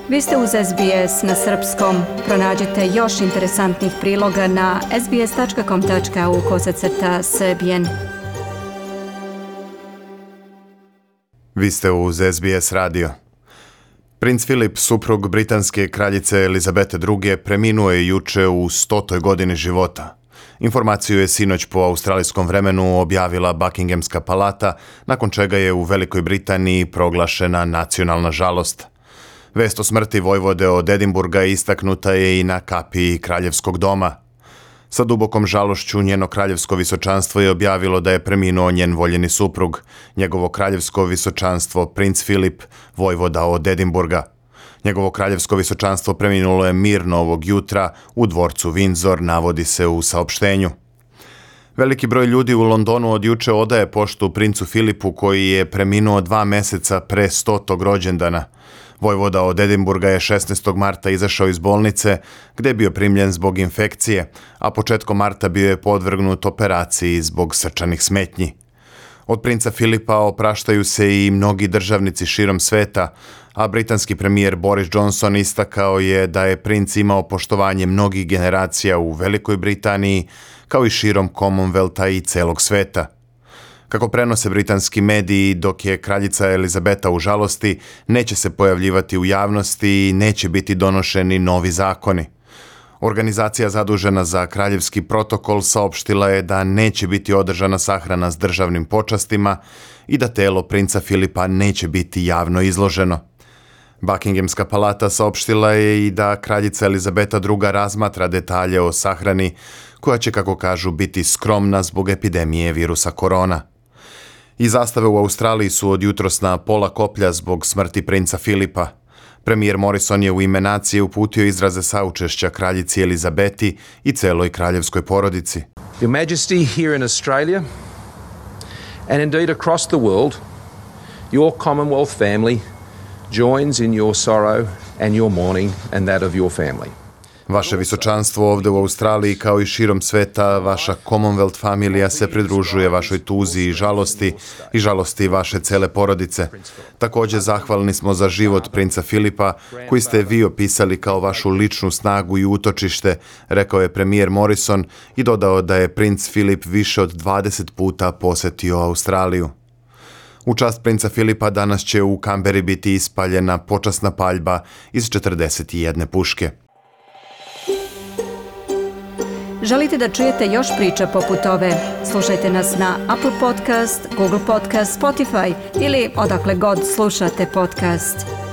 Vi ste uz SBS na srpskom. Pronađite još interesantnih priloga na sbs.com.au/srbijen. Vi ste uz SBS radio. Princ Filip, suprug britanske kraljice Elizabete II, preminuo je juče u 100. godini života. Informaciju je sinoć po australijskom vremenu objavila Buckinghamska palata, nakon čega je u Velikoj Britaniji proglašena nacionalna žalost. Vest o smrti vojvode od Edinburga istaknuta je i na kapiji Kraljevskog doma. Sa dubokom žalošću njeno kraljevsko visočanstvo je objavilo da je preminuo njen voljeni suprug, njegovo kraljevsko visočanstvo princ Filip, vojvoda od Edinburga. Njegovo kraljevsko visočanstvo preminulo je mirno ovog jutra u dvorcu Windsor, navodi se u saopštenju. Veliki broj ljudi u Londonu od juče odaje poštu princu Filipu, koji je preminuo 2 meseca pre 100. rođendana. Vojvoda od Edinburga je 16. marta izašao iz bolnice, gde je bio primljen zbog infekcije, a početkom marta bio je podvrgnut operaciji zbog srčanih smetnji. Od princa Filipa opraštaju se i mnogi državnici širom sveta, a britanski premijer Boris Johnson istakao je da je princ imao poštovanje mnogih generacija u Velikoj Britaniji, kao i širom Commonwealtha i celog sveta. Kako prenose britanski mediji, dok je kraljica Elizabeta u žalosti, neće se pojavljivati u javnosti i neće biti donošeni novi zakoni. Organizacija zadužena za kraljevski protokol saopštila je da neće biti održana sahrana s državnim počastima i da telo princa Filipa neće biti javno izloženo. Buckinghamska palata saopštila je i da kraljica Elizabeta II razmatra detalje o sahrani, koja će, kako kažu, biti skromna zbog epidemije virusa korona. I zastave u Australiji su od jutros na pola koplja zbog smrti princa Filipa. Premijer Morrison je u ime nacije uputio izraze saučešća kraljici Elizabeti i celoj kraljevskoj porodici. Your Majesty, here in Australia and indeed across the world, your Commonwealth family joins in your sorrow and your mourning and that of your family. Vaše visočanstvo ovde u Australiji, kao i širom sveta, vaša Commonwealth familija se pridružuje vašoj tuzi i žalosti vaše cele porodice. Također zahvalni smo za život princa Filipa, koji ste vi opisali kao vašu ličnu snagu i utočište, rekao je premijer Morrison i dodao da je princ Filip više od 20 puta posetio Australiju. U čast princa Filipa danas će u Kamberi biti ispaljena počasna paljba iz 41 puške. Želite da čujete još priča poput ove? Slušajte nas na Apple Podcast, Google Podcast, Spotify ili odakle god slušate podcast.